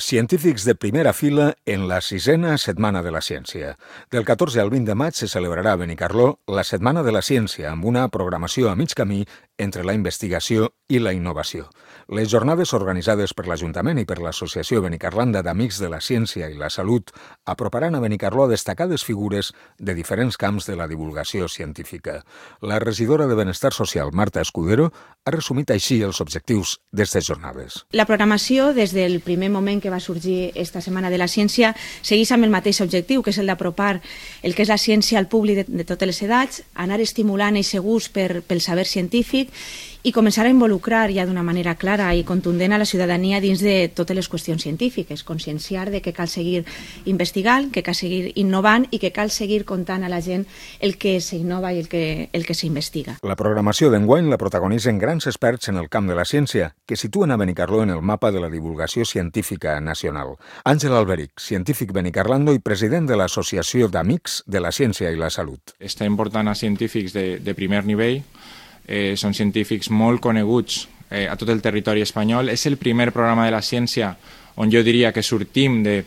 Científics de primera fila en la 6a Setmana de la Ciència. Del 14 al 20 de maig se celebrarà a Benicarló la Setmana de la Ciència, amb una programació a mig camí entre la investigació i la innovació. Les jornades organitzades per l'Ajuntament i per l'Associació Benicarlanda d'Amics de la Ciència i la Salut aproparan a Benicarló a destacades figures de diferents camps de la divulgació científica. La regidora de Benestar Social, Marta Escudero, ha resumit així els objectius d'aquestes jornades. La programació, des del primer moment que va sorgir esta Setmana de la Ciència, segueix amb el mateix objectiu, que és el d'apropar el que és la ciència al públic de totes les edats, anar estimulant aquest gust pel saber científic i començar a involucrar ja d'una manera clara i contundent a la ciutadania dins de totes les qüestions científiques, conscienciar de que cal seguir investigant, que cal seguir innovant i que cal seguir contant a la gent el que s'innova i el que s'investiga. La programació d'enguany la protagonitzen grans experts en el camp de la ciència que situen a Benicarló en el mapa de la divulgació científica nacional. Àngel Alberic, científic benicarlando i president de l'Associació d'Amics de la Ciència i la Salut. Està important a científics de primer nivell. Són científics molt coneguts a tot el territori espanyol. És el primer programa de la ciència on jo diria que sortim de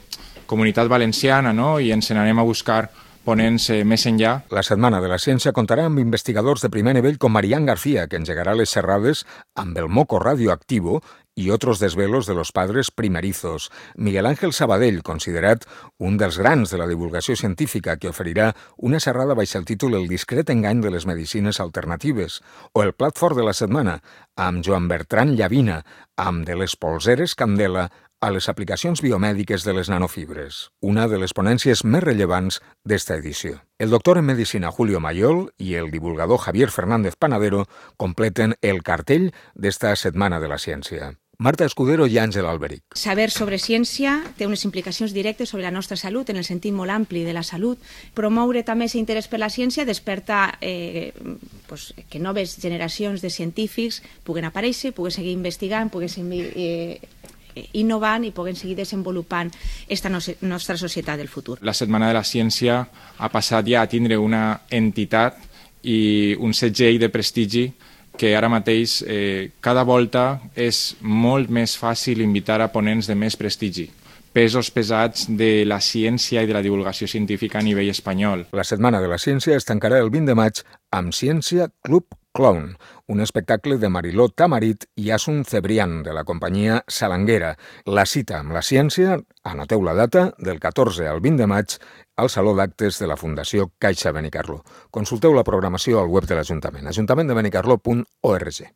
Comunitat Valenciana, no? I ens n'anem a buscar ponents més enllà. La Setmana de la Ciència comptarà amb investigadors de primer nivell com Marián García, que engegarà les xerrades amb el moco radioactivo y otros desvelos de los padres primerizos. Miguel Ángel Sabadell, considerat un dels grans de la divulgació científica, que oferirà una xerrada baix el títol El discret engany de les medicines alternatives, o el plat fort de la setmana, amb Joan Bertran Llavina, amb de les polseres Candela a les aplicacions biomèdiques de les nanofibres, una de les ponències més rellevants d'esta edició. El doctor en Medicina Julio Mayol i el divulgador Javier Fernández Panadero completen el cartell d'esta Setmana de la Ciència. Marta Escudero i Àngel Alberic. Saber sobre ciència té unes implicacions directes sobre la nostra salut, en el sentit molt ampli de la salut. Promoure també aquest interès per la ciència desperta que noves generacions de científics puguen aparèixer, puguen seguir investigant, puguen seguir innovant i puguen seguir desenvolupant esta nostra societat del futur. La Setmana de la Ciència ha passat ja a tindre una entitat i un segell de prestigi que ara mateix cada volta és molt més fàcil invitar a ponents de més prestigi, pesos pesats de la ciència i de la divulgació científica a nivell espanyol. La Setmana de la Ciència es tancarà el 20 de maig amb Ciència Club Clown, un espectacle de Mariló Tamarit i Asun Cebrián, de la companyia Salanguera. La cita amb la ciència, anoteu la data, del 14 al 20 de maig, al Saló d'Actes de la Fundació Caixa Benicarló. Consulteu la programació al web de l'Ajuntament, ajuntamenttdebenicarló.org.